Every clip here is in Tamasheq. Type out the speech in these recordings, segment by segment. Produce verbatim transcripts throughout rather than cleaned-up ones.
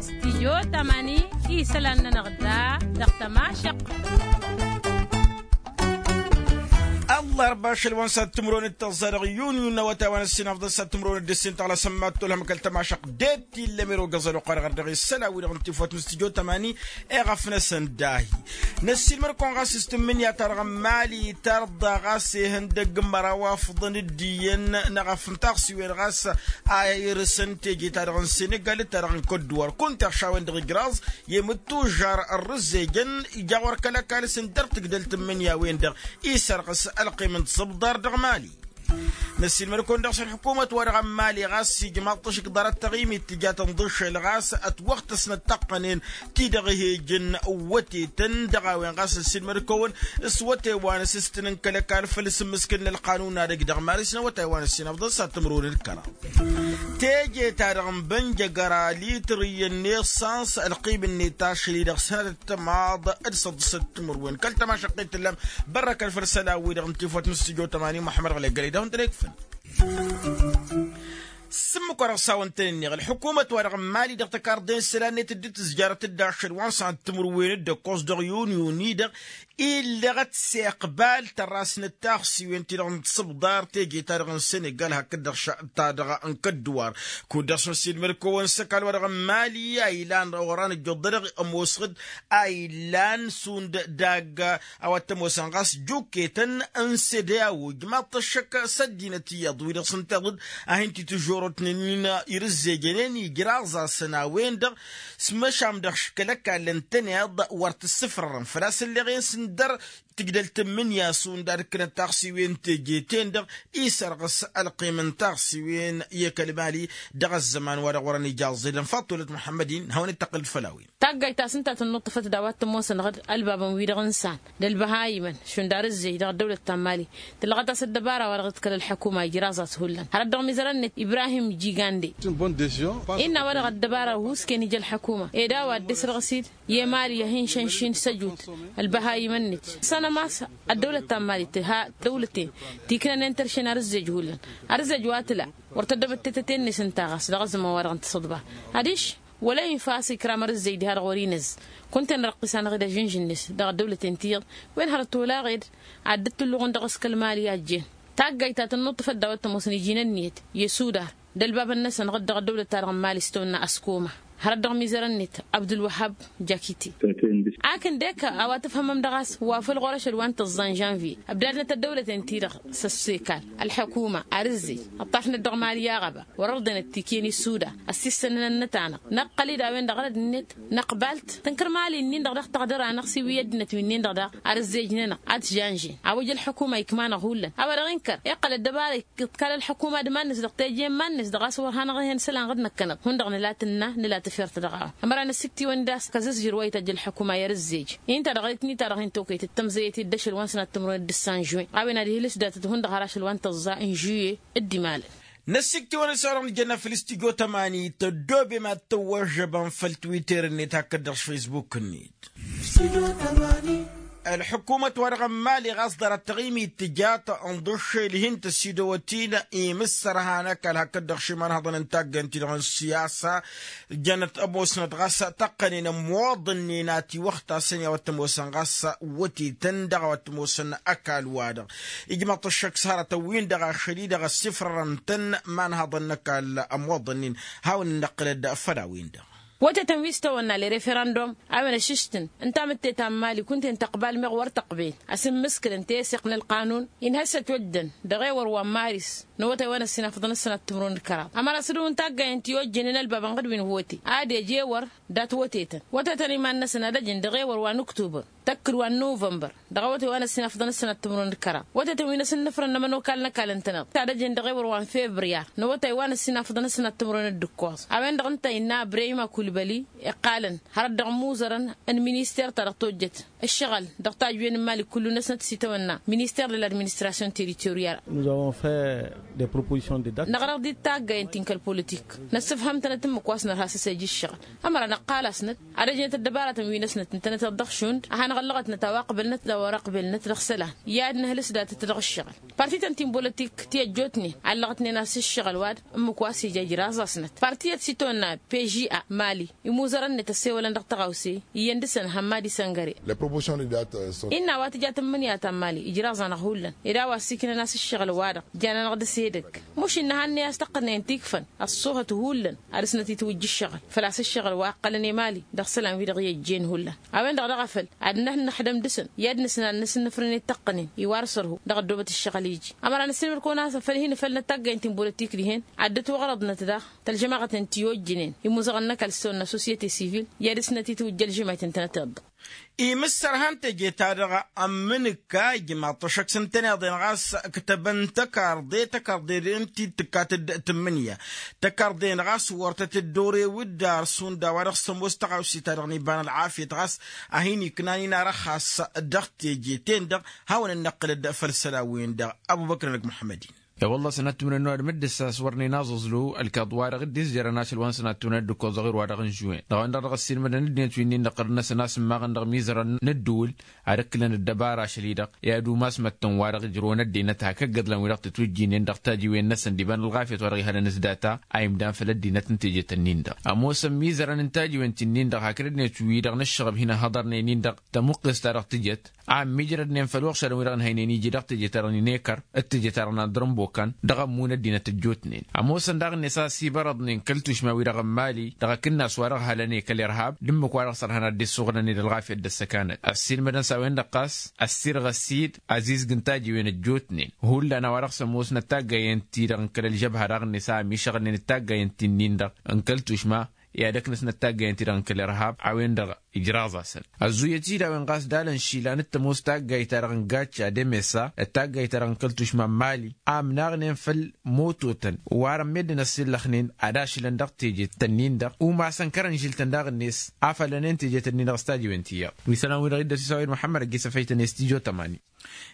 Stijyo tamani isălan-nănăɣ da dăɣ-tămašăqq. Ăllarba ašăl wa n-sad timǝrwen d-tăẓẓa dăɣ-yun yun n-awătay wa n-ăssinafḍăn sad timǝrwen d-ǝssin tăɣlasăn mad-tolhăm kăl-tămašăqq deb tillăm erogăẓăn oqarăɣ dăɣ-isălan-wi-dăɣ n-tifwăt n-stijyo tamani. Eɣăf-năsăn dahi năssiilmăd-kăwăn ɣas s-tǝmmǝnǝya-ta-dăɣ n-mali tarḍa ɣas ihăndăgg n-măraw afḍăn d-iyyăn n-eɣăf n-taɣsiwen ɣas a irǝsăn teje-ta-dăɣ n-senegal d-ta-dăɣ n-kădduwar kunta ăɣš a-wen-dăɣ ijraẓ i-mǝttužžar ărrǝzzejăn. Ija ɣur-kăl-ăkall s-ǝndăr tǝgdăl tǝmmǝnǝya-wen-dăɣ isărɣǝs ălqim n-tiẓǝbḍar dăɣ-mali. Năssiilmăd-kăwăn dăɣ-s ălḥukumăt-wa-dăɣ n-mali ɣas ijmaḍ-t ašǝkḍarăt taɣimit tǝja tănḍǝššel ɣas ătwăɣtăsnăt taqqănen ti-dăɣ ih'-ejăn wătetăn dăɣ-a-wen ɣas ăssiilmăd-kăwăn s-wăte wa n-asǝstăn n-kăl-ăkall făll-asǝmmǝskǝl n-ălqanun-adăj dăɣ-mali s-inăwătay wa n-ăssinăfḍăn s-ad-tǝmrǝwăn d-kăraḍ. Teje-ta-dăɣ n-bănjăgăra lităr iyyăn n-esăns ălqim-net ašăl-i-dăɣ sănatăt timaḍ d-săḍǝsăt timǝrwen kăl-tămašăqqet tǝllam. Bărrăkăn făll-isălan-wi-dăɣ n-tifwăt n-stujo tămani muḥămmăd ɣlăggălăy dăɣ-hundălăy kǝfăn. S-ǝmmǝk-wa-dăɣ s-a-wăn-tăn-ǝnneɣ ălḥukumăt-wa-dăɣ n-mali dăɣ-tăkarḍe n-isălan-net dd-tǝzjarăt-dd ašăl wa n-săn timǝrwen d-ăkkoẓ dăɣ-yun yun-i-dăɣ. Illăɣăt s-iqbal tărrasnăt taɣsiwen-ti-dăɣ n-tisǝbḍar teje-ta-dăɣ n-senegal hakd-dăɣ ta-dăɣ n-kădduwar. Kud-dăɣ s-năssiilmăd-kăwăn s-ăkall-wa-dăɣ n-mali a ilan oran ǝjjuḍ-dăɣ ămoosăɣ-dd a ilan šund dagg a-wa t-ămoosăn ɣas juketăn n-sede a ojmaḍ-t ăššăk s-ăddinăt iyyăḍ wi-dăɣ s-ǝnta iḍǝd a hin-titǝžžorotnen-in irǝzzejănen ijraẓ-asăn a-wen-dăɣ. S-măšan dăɣ-škăl ăkall ǝntăneḍ wăr t-ǝssǝfrărăn făl-a-s ǝlleɣ-en s-ǝndăr tǝgdăl tǝmmǝnǝya šund ad-ǝkkǝnăt taɣsiwen teje-ten-dăɣ isărɣǝs ălqim n-taɣsiwen i-kăl-mali. Dăɣ-ăzzăman-wa-dăɣ wărăn ija ăẓẓedăn faḍt tolăt muḥămmăd-in hawăn-dd-tăqqǝl-dd făll-a-wen. Taggayt ta s-ǝnta tǝnnuṭṭǝfăt d-a-wa t-ămoosănăɣ-dd ălbabăn-wi-dăɣ n-san d-ălbăhayimăn šund arǝzzej dăɣ-ăddăwlăt ta n-mali. Tǝllăɣăt a-s ăddăbara wa dăɣ-tǝkkăl ălḥăkuma ijraẓ-as hullan har ăddăɣ-mizărăn-net ibrahim jigande. Innă a-wa dăɣ-ăddăbara wi-s kăyăn ija ălḥăkuma ed a-wa dd-isrăɣǝs-dd i-mali a hin-šănšin s-ăjut ălbăhayimăn-net. Sănăm a-s ăddăwlăt ta n-mali tǝha dăwlăten ti ǝknănen tărše n-arǝzzej hullan. Arǝzzej wa tǝla wăr tăddăbăt tetăte-net ǝnta ɣas dăɣ-ăzzăman-wa-dăɣ n-tisǝḍba adiš wăla infa a-s ikram arǝzzej diha-dăɣ wăr-inǝzz. Kunta-en răqqis-anăɣ-dd ažǝnžǝn-net dăɣ-ăddăwlăten tiyyăḍ wen hărăt olaɣ-ed ad-dd-tǝlluɣǝn dăɣ-s kăl-mali a ăjjeen. Taggayt ta tănnuṭṭǝfăt d-a-wa t-ămoosăn iji n-ǝnniyăt i-suda d-ălbabăn-năsăn ɣǝd-dăɣ ăddăwlăt-ta-dăɣ n-mali s-tawănna ăskoma hărăt dăɣ-mizărăn-net abdulwăhab jakite. Akǝn dek a-wa tǝfhămăm dăɣ-a-s wa făl ɣur-ašăl wa n-tăẓẓa n-žănvye ăbdadnăt ăddăwlăten-ti-dăɣ s-ăsseka ălḥăkuma arǝzzej ǝṭṭafnăt dăɣ-mali aɣăba wăr-ărḍenăt tikǝyăn issuda ăssissănăn ănnăt-anăɣ năqqăl-dd a-wen-dăɣ ărăd-net. Năqbal-t tǝnkăr mali-nin-dăɣ daɣ tăɣdăr-anăɣ s-iwǝyy ăddinăt wi-nin-dăɣ daɣ arǝzzej-nănăɣ ad-t-žănžen a-wa ija ălḥăkuma ikma-năɣ hullan a-wa dăɣ-inkăr iqqăl ăddăbara iḍkal ălḥăkuma d-iman-net dăɣ-teje n-iman-net dăɣ-a-s wăr hanăɣ-ih'-en isălan ɣǝd-năkkăneḍ hundăɣ nǝla tǝnna nǝla tefert dăɣ-a-wa. Ămăra năssikt'-iwăn-dd a-s kăzǝzzǝr wa ităjj ălḥăkuma i-arǝzzej-i ǝnta-dăɣ ăllet-ni-ta-dăɣ hin-tokăytăt tămzăyăt-dd ašăl wa n-sănat timǝrwen d-ǝssan žuin a-wen ad-ihǝlǝs datăt hundăɣ har ašăl wa n-tăẓẓa n-žuye. D-imalăn. Năssikt'-iwăn-dd s-a-wa dăɣ-nǝjănna făll-stujo tămani tăddoobem ad-tăwwăžžăbăm făll-twitter-net hakd-dăɣ s-facebook-net. Ălḥukumăt-wa-dăɣ n-mali ɣas ḍarăt taɣimit tǝja tănḍǝššel hin-tăsidăwăt-in imǝssărha n-ăkall hakd-dăɣ šimanhăḍăn n-taggăyăn-ti-dăɣ n-siyasa. Jănăt ămoosnăt ɣas tăqqănen ămmoḍăn-in a tiwăxtasăn i-a-wa t-ămoosăn ɣas wătetăn dăɣ-a-wa t-ămoosăn ăkall-wa-dăɣ. Ijmăḍ-t ăššăk s-hărătăn-win-dăɣ ašăl-i-dăɣ ăssifrărăn-tăn imanhăḍăn n-ăkall ămmoḍăn-in. Hawăn-in-năqqǝlăd făll-a-wen-dăɣ. Wătetăn wi s-tawănna le referandum a-wen ăššǝštǝn ǝnta amǝtte ta n-mali kunta-en tăqbal meɣ wăr tăqben. Asǝmmǝskǝlăn teseɣt n-ălqanun inhăssăt oddăn dăɣ-ewăr wa n-maris n-awătay wa n-ăssinafăḍăn ăssănat timǝrwen d-kăraḍ. Ămăra s-dd-wǝn taggayăn ti ojjănen ălbabăn ɣǝd wi n-hote ad-ej ewăr dat-wătetăn wătetăn iman-năsăn ad-ăjǝn dăɣ-ewăr wa n-uktubăr tăkkǝd wa n-nuvănbăr dăɣ-awătay wa n-ăssinafăḍăn ăssănat timǝrwen d-kăraḍ. Wătetăn wi n-asǝnnăfrăn n-ămănokal n-ăkall ǝntăneḍ t-ad-ăjǝn dăɣ-ewăr wa n-febriyar n-awătay wa n-ăssinafăḍăn ăssănat timǝrwen d-ǝkkoẓ. A-wen-dăɣ ǝnta innă ăbreyim akulbăli iqqalăn hărăt dăɣ-imuzărăn n-minister-ta-dăɣ tojjăt ǝššăɣǝl dăɣ-tajjăwen n-imali kullu-năsnăt s-itawănna minister de l-administration territorial. Năɣrăɣ-dd-dd taggayăn ti n-kăl-politik năssǝfhăm-tănăt ǝmmǝk wa s-nărha s-ăsej ǝššăɣǝl. Ămăra năqqal-asnăt ad-ăjnăt ăddăbaratăn wi-năsnăt ǝntănăt iḍăɣ šund a hanăɣ Ăllăɣătnăt a-wa ăqbălnăt d-a-wa ăqbălnăt dăɣ-isălan i-ad-nǝhǝlǝs datăt dăɣ-ǝššăɣǝl. Parti ta n-ti n-bolătik ti ăjjootnen ăllăɣătnen a-s ǝššăɣǝl-wa-dăɣ ǝmmǝk wa s-ija ijraẓ-asnăt. Parti iyyăt s-itawănna pža mali imuzărăn-net ăssewălăn dăɣ-tăɣawse iyyăn dăɣ-săn hămmadi săngăre. Innă a-wa tǝja tǝmmǝnǝya ta n-mali ijraẓ-anăɣ hullan ed a-wa ăssiiknăn a-s ǝššăɣǝl-wa-dăɣ jan-anăɣ dăɣ-s edăgg. Muš innă hannăy a-s tăqqănen tikfăn ăṣṣuhăt hullan ad-dăɣ-snăt itwǝjja ǝššăɣǝl făl-a-s ǝššăɣǝl wa ǝqqălăn i-mali dăɣ-isălan wi-dăɣ i-ăjjeen hullan. A-wen-dăɣ dăɣ-afăl ad-năhnăxdăm dăɣ-săn i-ad-nǝsnal n-asǝnnǝfrǝn i-tăqqănen iwar sărhu dăɣ-ăddoobăt ǝššăɣǝl iji. Ămăra nǝssilmăd-kăwăn-asăn făl hin-ifăl n-ăttaggayen ti n-bolătik dihen ad-dd-ătwăɣrăḍnăt daɣ tălžămaɣăt n-ti ojjǝnen imuzăɣăn n-ăkall s-tăwănna sosyete sivil i-ad-dăɣ-snăt itwǝjja ălžămayt ǝntănăteḍ. Imǝssărhan teje-ta-dăɣ ămmǝnǝka ijmaḍ-t ăššăk s-ǝntăneḍ-en ɣas ǝktăbăn tăkarḍe tăkarḍe-den ti d-tǝkkat d-tǝmmǝnǝya. Tăkarḍe-en ɣas wăr tăt-dd-orew d-ar šund a-wa dăɣ-s tămoos tăɣawse-ta-dăɣ n-iba n-ălɣafyăt ɣas a hin-iknan-in arăxxas dăɣ-teje-ten-dăɣ. Hawăn-dd-năqqǝlăd făll-isălan-wen-dăɣ. Ăbubăkr-năk muḥămmăd-in. I-wălla-s ănattumnăn n-ăwadǝm dd-ǝssa a-s wărnen aẓǝẓlu ălkaḍ-wa-dăɣ dd-izjărăn ašăl wa n-sănattumnăn d-ǝkkoẓăɣ irwa-dăɣ n-žuwen dăɣ-a-wen-dăɣ dăɣ-ăssiilmădăn ăddinăt wi-nin-dăɣ ɣărăn-năsăn a-s ǝmmaɣăn dăɣ-imizărăn n-ăddǝwǝl ad-ǝkklăn ăddăbara ašăl-i-dăɣ i-ad-umas măttăn-wa-dăɣ ǝjrăwăn ăddinăt hak ăgg-iḍlan wi-dăɣ tăt-ujjinen dăɣ-tajiwen-năsăn d-iba n-ălɣafyăt wa dăɣ-ihalăn s-data a imdan făll-ăddinăt n-tejet-ǝnnin-dăɣ. Ămoosăn imizărăn n-tajiwen ti-nin-dăɣ hakd ăddinăt wi-dăɣ n-ǝššăɣăb hin-ăhhăḍărnen-in-dăɣ tămuqqes-ta-dăɣ tǝjăt a ămmiijrădnen făll-uɣšadăn-wi-dăɣ ǝnhăynen iji dăɣ-teje-ta-dăɣ n-inekăr d-teje-ta-dăɣ n-adrănbokăn dăɣ-ămmun ăddinăt ăjjootnen. Ămoosăn daɣ-net a ăsibărăḍnen kăl-tušma wi-dăɣ n-mali dăɣ-akǝnnas wa dăɣ-halăn i-kăl-irhab d-ǝmmǝk wa dăɣ-sărhăn ad-dd-issufɣǝlăn i-ălɣafyăt d-ăssăkanăt ăssiilmădăn s-a-wen-dăɣ ɣas ăssirɣăs-dd azizg n-tajiwen ăjjootnen hullan a-wa dăɣ-s ămoosnăt taggayen-ti-dăɣ n-kăl-ălžăbha daɣ-net a ămišăɣnen d-taggayen ti-nin-dăɣ n-kăl-tušma i-ad-ăknăsnăt taggayen-ti-dăɣ n-kăl-irhab a-wen-dăɣ ijraẓ-asăn. Ăzzuyăt-dd a-wen ɣas d-alăn išilan d-tămoos taggayt-ta-dăɣ n-gacca d-emesa d-taggayt-ta-dăɣ n-kăl-tušma n-mali a ǝmnaɣnen făll-mototăn wa rămmeddǝn ăssillăxnen ad-ašǝlăn dăɣ-tejet-tăn-in-dăɣ umasăn kărănžǝl-tăn daɣ-net afălănen tejet-ǝnnin-dăɣ s-tajiwen ti iyyăḍ wi isălan-wi-dăɣ iddăs isawăyăd muḥămmăd ăgg-isăfăytăn i-stijo tămani.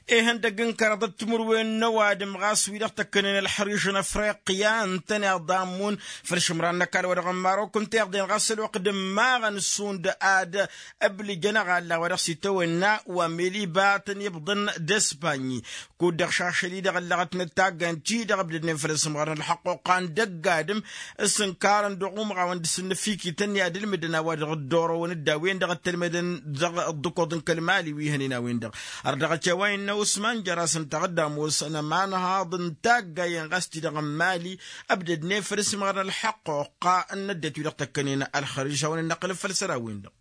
Ihăndăgg n-kăraḍăt timǝrwen n-ăwadǝm ɣas wi-dăɣ tăkkănen ălxăriš n-afriqya ǝntăneḍ a ămmun făll-išǝmran n-ăkall wa dăɣ-n marok ǝnta iḍen ɣas ălwăqq d-ǝmmaɣăn šund ad-ǝblǝjăn aɣalla wa dăɣ-s itawănna wa mel iba a tăn-ibḍăn d-ăspanyi. Kud-dăɣ šašăl-i-dăɣ ăllăɣătnăt tagga n-ti-dăɣ ǝbdădnen făll-asǝmɣar n-ălxăqquqa n-dăgg-adǝm s-ǝnkarăn dăɣ-umɣawăn d-asǝnnăfikităn i-ad-ǝlmǝdăn a-wa dăɣ-dd-orăwăn d-a-wen-dăɣ ăttălmădăn dăɣ-ăḍḍǝkuḍ n-kăl-mali wi hănen a-wen-dăɣ. Ărdăɣăt i-a-wa innă usman jăr-asăn taɣǝdda ămoosăn ămanhaḍ n-taggayen ɣas ti-dăɣ n-mali ăbdădnen făll-asǝmɣar n-ălxăqquqa n-ăddinăt wi-dăɣ tăkkănen ălxăriš hawăn-dd-năqqǝlăn făll-isălan-wen-dăɣ.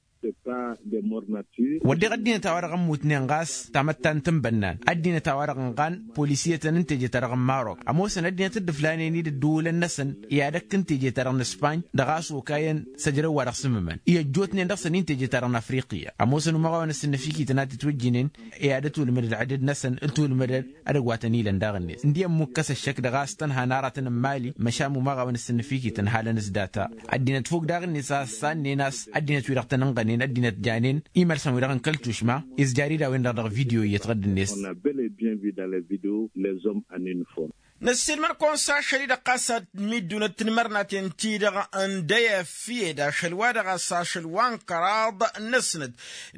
Wădden ăddinăt a-wa-dăɣ ămmutnen ɣas tamăttant n-bănnan ăddinăt a-wa-dăɣ ănɣan polisiyătăn n-teje-ta-dăɣ n-marok ămoosăn ăddinăt dd-ǝflanen-dd ǝddǝwǝlăn-năsăn i-ad-ăkk n-teje-ta-dăɣ n-ǝspany dăɣ-a-s okayăn s-ăjrăw wa dăɣ-s ǝmmǝmăn i-ăjjootnen dăɣ-săn-in teje-ta-dăɣ n-afriqya. Ămoosăn umăɣawăn ăssǝnnăfikităn a tǝtwǝjjǝnen i-ad-ătwǝlmǝdăd ălɣăded-năsăn ǝtwǝlmǝdăd ad-ăgg wa tăn-ilăn daɣ-net ǝndiyyăn mukkăs ăššăk dăɣ-a-s tănha n-aratăn n-mali. Măšan umăɣawăn ăssǝnnăfikităn halăn s-data ăddinăt fok daɣ-net a ăssannen a-s ăddinăt wi-dăɣ tăn-ǝnɣănen ăddinăt janen imălsăn-wi-dăɣ n-kăl-tušma izjar-dd a-wen-dăɣ dăɣ-video iyyăt ɣǝdd-net. Năssiilmăd-kăwăn s-ašăl-i-dăɣ ɣas ad-middunăt tinmărnaten-ti-dăɣ n-dăy-efyed ašăl-wa-dăɣ a-s ašăl wa n-kăraḍ n-ăsnăt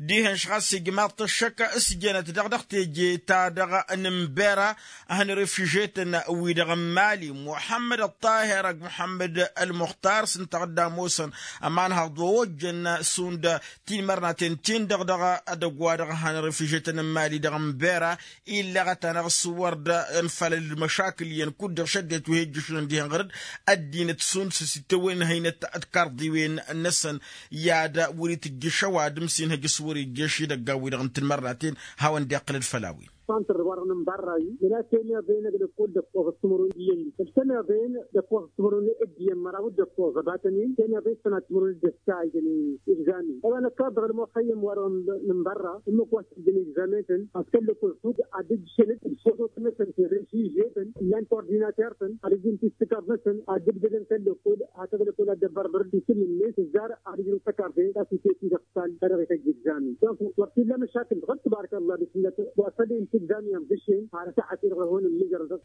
dihen-š ɣas ijmaḍ-t ăššăk s-jănăt-dăɣ dăɣ-teje-ta-dăɣ n-ǝmbera hăn-refižetăn-wi-dăɣ n-mali muḥămmăd ăṭṭahir ăgg muḥămmăd ălmuxtar s-ǝnta a dd-ămoosăn ămanhăḍ wa ojjăn šund tinmărnaten-tin-dăɣ dăɣ-edăgg wa dăɣ-hăn-refižetăn n-mali dăɣ-ǝmbera. Illăɣăt-anăɣ s-wăr dd-ănfalăl d-măšakǝl iyyăn kud-dăɣ šăddinăt wi hi-ǝjjǝšnen dihen ɣăr-dd ăddinăt šund s-ăsitawăyăn ăhăynăt d-karḍiwen-năsăn i-ad-wăr-itǝjjǝš ăwadǝm s-inhǝj s-wăr-ijjǝš idăggan-wi-dăɣ n-tinmărnaten. Hawăn-dd-iqqǝlăd făll-a-wen. Săntrăl wa dăɣ-nǝnbărra-i ila teniḍen ăgg dăkkoẓ d-timǝrwen d-iyyăn-i ǝltăneḍen dăkkoẓ d-timǝrwen d-iyyăn măraw d-dăkkoẓ ăbatăn-in teniḍen sănat timǝrwen d-ăssaydăn. Igzami ăbanăkkaḍ dăɣ-ălmuxăyyăm wa dăɣ-nǝnbărra ǝmmǝk wa s-ǝjjǝn igzamen-tăn ad-kăl-lăkkol kud ad-ǝjjǝšăn d-săḍotăn-năsăn ti-dăɣ n-sižetăn llan kordinater-tăn ad-ǝjjǝn ti s-tǝkarḍ-năsăn ad-dd-ǝbdădăn kăl-lăkkol hakăt lăkkol ad-dd-ăbbăr dăr-dd-isǝm-net tǝzzar ad-ǝjrǝw tăkarḍe ta s-iteti dăɣ-tal ta dăɣ-ităjj igzamen. Dăɣ-wăr t-illa măšakǝl dăɣ-dd-tǝbarăk ăllah d-isǝllat wa s-ad-inta igzamen ămdǝšen har ăsaɣăt-i-dăɣ ad-hon ǝmmǝjrăl dăɣ-s.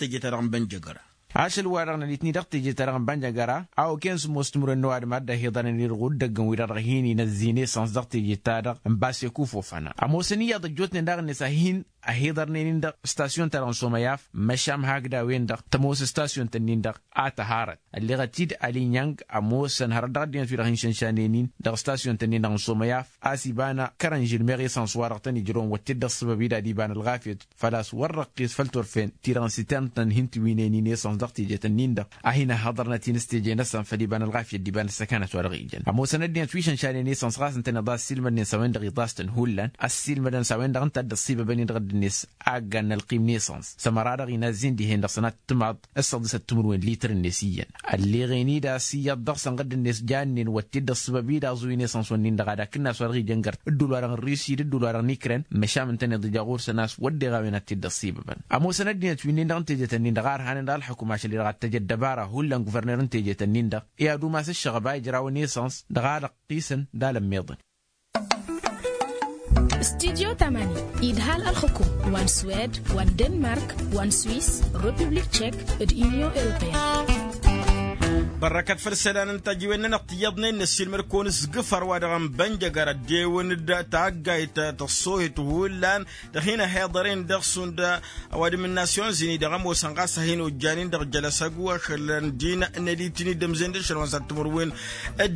teje-ta-dăɣ n-bănjăgăra. Ašăl-wa-dăɣ n-ălitni dăɣ-teje-ta-dăɣ n-bănjăgăra a okăyăn sǝmmos timǝrwen n-ăwadǝm a dd-ăhiḍărnen irɣu d-ăggăn-wi-dăɣ dăɣ-hin-inăzzin esăns dăɣ-teje-ta-dăɣ n-baseku fofăna ămoosăn iyyăḍ ăjjootnen daɣ-net a hin-ăhiḍărnen-in dăɣ-stasyon-ta-dăɣ n-somăyaf. Măšan hakd a-wen-dăɣ tămoos stasyon-tăn-in-dăɣ a tăharăt ălleɣăt-dd alinyang ămoosăn hărăt dăɣ-ăddinăt wi-dăɣ hin-šănšanen-in dăɣ-stasyon-tăn-in-dăɣ n-somăyaf a-s iba n-kărănžǝl meɣ esăns-wa-dăɣ tăn-ijrăwăn wăr t-dd-ăṣṣibăb-i d-ad-iba n-ălɣafyăt făl-a-s wăr răqqis făll-turfen ti-dăɣ n-sitern-tăn hin-tiwǝynen-in esăns dăɣ-teje-tăn-in-dăɣ a hin-ăhhăḍărnăt-in s-teje-năsăn făll-iba n-ălɣafyăt d-iba n-ăssăkanăt-wa-dăɣ ijăn ămoosăn ăddinăt wi šănšanen esăns ɣas ǝntăneḍ a ăssiilmădnen s-a-wen-dăɣ iḍas-tăn hullan ăssiilmădăn s-a-wen-dăɣ ǝnta a dd-ăṣṣibăbăn-in dăɣ-dd-net aggan n-ălqim n-esăns s-ămăra-dăɣ inazzin dihen-dăɣ sănat timaḍ s-săḍisăt timǝrwen litr-net iyyăn. Ălleɣen-dd a-s iyyăḍ dăɣ-săn ɣǝdd-net jannen wăr t-dd-ăṣṣibăb-dd aẓuy n-esăns-wǝnnin-dăɣ ad-akǝnna a-s wa dăɣ-ijăn gărt dd-ula-dăɣ n-rusi d-dd-ula-dăɣ n-ikren. Măšan ǝntăneḍ ija ɣur-săn a-s wădden a-wen ad-t-dd-ăṣṣibăbăn ămoosăn ăddinăt wi-nin-dăɣ n-tejet-nin-dăɣ a ărhanen dăɣ-ălxǝkum ašăl-i-dăɣ ad-t-ăj ăddăbara hullan guverner n-tejet-nin-dăɣ i-ad-umas ǝššăɣăb a ijrawăn esăns dăɣ-alăqqisăn d-alămmiḍăn. Studyo tamani idhal ălxǝkum wa n-swed wa n-denmark wa n-swis, republik tšek d-inyon europeyăn. Bărrăkăt făll-isălan n-tajiwen-nănăɣ tiyyăḍnen n-ăssiilmăd-kăwăn s-gǝfăr wa dăɣ-n bănjăgăr ăddewăn-dd taggayt tăṣṣohet hullan dăɣ-hin-ăhiḍăren dăɣ-šund ăwadǝm n-nasyon zini dăɣ-ămoosăn ɣas a hin-ojjanen dăɣ-jălăsăgu ašăl n-din n-alitini d-ămzen d-ašăl wa n-săr timǝrwen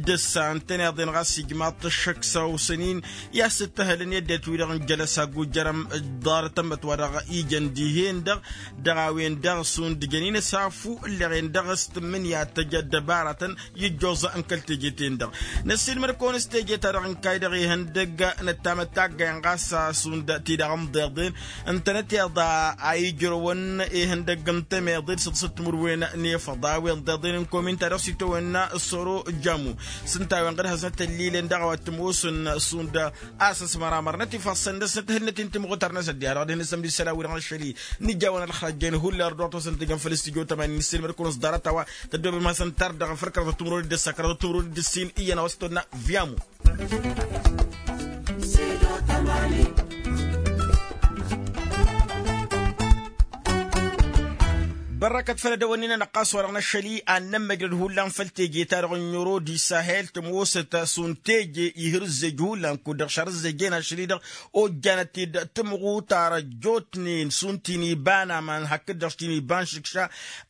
d-ǝssa ǝntăneḍ-en ɣas ijmaḍ-t ăššăk s-awsăn-in i-ad-sǝttăhălăn i-ăddinăt-wi-dăɣ n-jălăsăgu jer-ămḍarăt ămmăt wa dăɣ-ijăn dihen-dăɣ dăɣ-a-wen-dăɣ šund jăn-in ăsafu ǝlleɣen dăɣ-s tǝmmǝnǝya ad-tăj ăddăbaratăn ijjoẓ n-kăl-teje-ten-dăɣ. Năssiilmăd-kăwăn s-teje-ta-dăɣ n-kayy-dăɣ ihăndăgg năttamăt taggay n-ɣas šund-ti-dăɣ ǝmḍeḍen ǝntănăt iḍa a ijrăwăn ihăndăgg n-temeḍe d-săḍsăt timǝrwen n-efăḍ a-wen ḍeḍen n-komin-ta-dăɣ s-itawănna soro jamu s-ǝnta a-wen ɣǝd-hăznăt ăllilen dăɣ-a-wa t-ămoosăn šund a-s ăsmăramărnăt ifassăn dăr-snăt hǝlnăt-in timɣutăr n-asăddi-a-dăɣ dăr-hin-ăsămdisăl a-wi-dăɣ n-ašăl-i n-ijawăn ălxăjjăyăn hullan ărdăɣ tosăn tijăn făll-studyo tămani n-ăssiilmăd-kăwăn s-ḍarăt-a-wa tăddoobem hasăn-t ar dăɣ-făr kăraḍăt timǝrwen d-ǝssa kăraḍăt timǝrwen d-ǝssin iyyăn a-wa s-tonna viamu. Ărrăkăt făll-edăwănnin-anăɣ ɣas wa-dăɣ n-ašăl-i ad-nămmăjrăd hullan făll-teje-ta-dăɣ n-ero d-isahel tămoosăt šund teje ih' irǝzzej hullan kud-dăɣ šărǝzzej-en ašăl-i-dăɣ ojjanăt-dd tǝmɣutar ăjjootnen šund ti n-iba n-aman hakd-dăɣ ti n-iba n-išǝkša.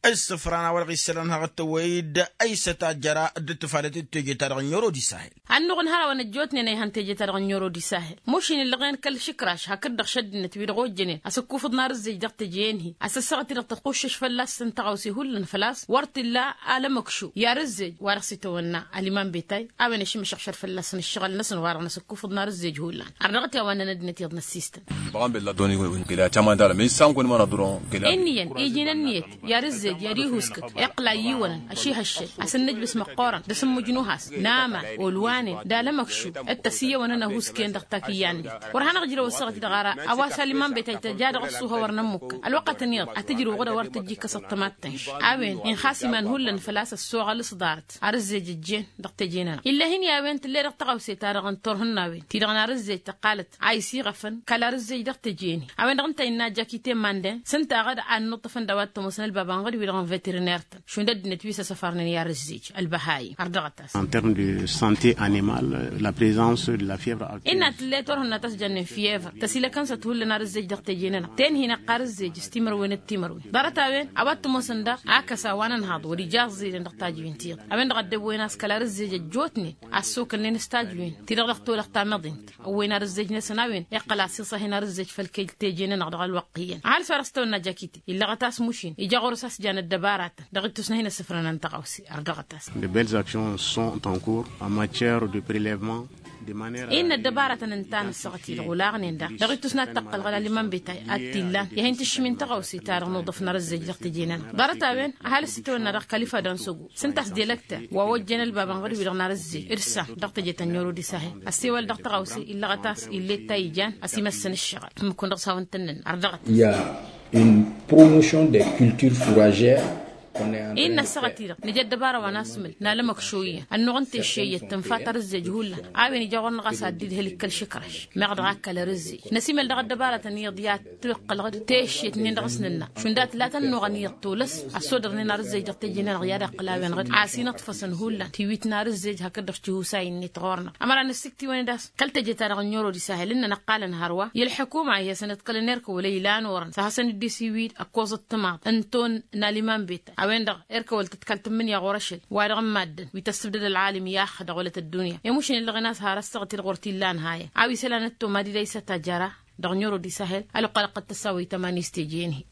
Ǝssǝfran a-wa-dăɣ isălan haɣ-tăwăy-dd ăysăt a jăra dd-tǝfalăt d-teje-ta-dăɣ n-ero d-isahel. Ănnuɣ n-hărăwăn ăjjootnen a ihăn teje-ta-dăɣ n-ero d-isahel. Mušin ǝllăɣen kăl-išǝkraš hakd-dăɣ šăddinăt wi-dăɣ ojjănen asǝkkufǝḍ n-arǝzzej dăɣ-teje-en-hi. Asăssăɣăt-i-dăɣ tătxuššăš fălla-săn tăɣawse hullan făl-a-s wăr t-illa alămăkšu i-arǝzzej wa dăɣ-s itawănna ăliman betay. A-wen ašǝmmăšăɣšăr fălla-săn ǝššăɣǝl-năsăn wa dăɣ-năsǝkkufǝḍ n-arǝzzej hullan. Ărdăɣăt i-a-wa nănăddinăt iyyăḍ n-ăssistăn. Băɣan bella doni wăyun kăla caman dala men sangon mana duron kăla. Enniyăn iji n-ănniyăt i-arǝzzej i-ad-ihuskǝk iqqǝl a iyyǝwănăn ăšihăššăl. Asǝnnǝjbǝs măqqoorăn d-asǝmmǝjnu has n-amal olwanen d-alămăkšu d-tăsiyyăwănăn ăhuusken dăɣ-takǝyya-net. Wăr hanăɣ-ǝjrăw ăssaɣăt-i-dăɣ ara a-wa s-alǝman betay tăja dăɣ-ăṣṣuhă wăr nămmukkan ălwăqqătăn iyyăḍ ad-t-ǝjrǝw ɣǝd a wăr tǝjji kăsăḍ tămattănš. A-wen inxas iman hullan făl-a-s ăssoɣăl s-ḍarăt arǝzzej ăjjeen dăɣ-teje-nănăɣ. Ill'-e-hin i-a-wen tǝll'-e dăɣ-tăɣawse-ta-dăɣ n-turhǝnnawen ti-dăɣ n-arǝzzej tăqqalăt a isiɣăfăn kăl-arǝzzej dăɣ-teje-en-hi. A-wen-dăɣ ǝnta innă jakite manden s-ǝnta a ɣǝd a ănnuṭṭăfăn d-a-wa t-ămoosăn ălbab ănɣăd-wi-dăɣ n-veteriner-tăn šund ăddinăt wi s-ăsăfarnen i-arǝzzej ălbăhayim. Ărdăɣăt-as. En terme de sante animal, la prezans de la fievre aviaire. Innă tǝll'-e turhǝnna ta s-jannen fievre tăsilăkăn-săt hullan arǝzzej dăɣ-teje-nănăɣ ten-hi-năqqa arǝzzej s-timărwen d-timărwen. Ḍarăt a-wen a-wa t-ămoosăn daɣ akăs a-wa n-ănhaḍ wăr-ija ăẓẓidăn dăɣ-tajǝwen-ti-dăɣ. A-wen-dăɣ a dd-ăwwen a-s kăl-arǝzzej ăjjootnen a ăssokălnen s-tajǝwen ti-dăɣ dăɣ-tolăɣt tamăḍint. Ăwwen arǝzzej-năsăn a-wen iqqăl a-s iṣăhen arǝzzej făll-kăy-teje-nănăɣ dăɣ-ălwăqq iyyăn ăhalǝs wa dăɣ-s tăwănna jakite. Illăɣăt a-s mušin ija ɣur-s a-s janăt dăbaratăn dăɣ-ittus n-ad-hin-ăssǝfrănăn tăɣawse. Ărdăɣăt-as. De belles actions sont en cours en matière de prelevement de manière. Innă ăddăbaratăn ǝnta a nǝssăɣăt-i-dăɣ olaɣnen daɣ dăɣ-ittus n-ad-tăqqălɣăl alǝman betay ad-t-illan i-ad-hin-tǝššǝmin tăɣawse-ta-dăɣ n-uḍǝf n-arǝzzej dăɣ-teje-nănăɣ. Ḍarăt-a-wen ăhalǝs itawănna dăɣ-kalifa d-ansăgo s-ǝnta a-s delăkter wa ojjăn ălbab ănɣăd-wi-dăɣ n-arǝzzej d-săn dăɣ-teje ta n-ero d-isahel. Ăssewăl dăɣ-tăɣawse illăɣăt a-s ill'-e d ta ijan ăsimăssăn ǝššăɣăl. Tǝmmǝkkun dăɣ-s hawăn-tăn-nǝnna ărdăɣăt. Il-y a une promotion des cultures fourragères. Innă ăssaɣăt-i-dăɣ nǝja ăddăbara wa n-asmǝl n-alămăkšo iyyăn ănnuɣ n-tešše iyyăt tǝnfa tarǝzzej hullan. A-wen ija ɣur-năɣ a-s ad-dd-idhǝl ikkăl šǝkraš meɣ dăɣ-akkăl arǝzzej. Năsimăl dăɣ-ăddăbaratăn iyyăḍ i-ad-tǝqqălăɣ d-teššet-nin dăɣ-s nǝnna šund a tǝla tănnuɣăn iyyăḍ tolăs ăssodărnen arǝzzej dăɣ-teje-nănăɣ i-ad-ăqqǝl a-wen ɣǝd a-s inǝṭfăsăn hullan tiwit n-arǝzzej hakd-dăɣ tihusa-in-net ɣur-năɣ. Ămăra n-ǝssiktiwăn d-a-s kăl-teje-ta-dăɣ n-ero d-isahel ǝnnăn ǝqqalăn hărwa i-ălḥukuma ih'-e săn ǝḍkălăn erk wăla ilan orăn s-ad-hasăn-dd-isiwid ăkkoẓăt timaḍ n-ton n-aliman beta a-wen-dăɣ erk wăla tǝḍkăl tǝmmǝnǝya ɣur-ašăl wa dăɣ-n maddǝn wi tăssǝbdăd ălɣalim i-axădăɣ wăla tăddunya. Emušin illăɣen a-s har ăssaɣăt-i-dăɣ wăr t-illan hayăn a-wa isălan ăttomad-dd a isătajăra dăɣ-nero d-isahel ălwăqq alăqqăt tăsawăy tămani s-teje-en-hi.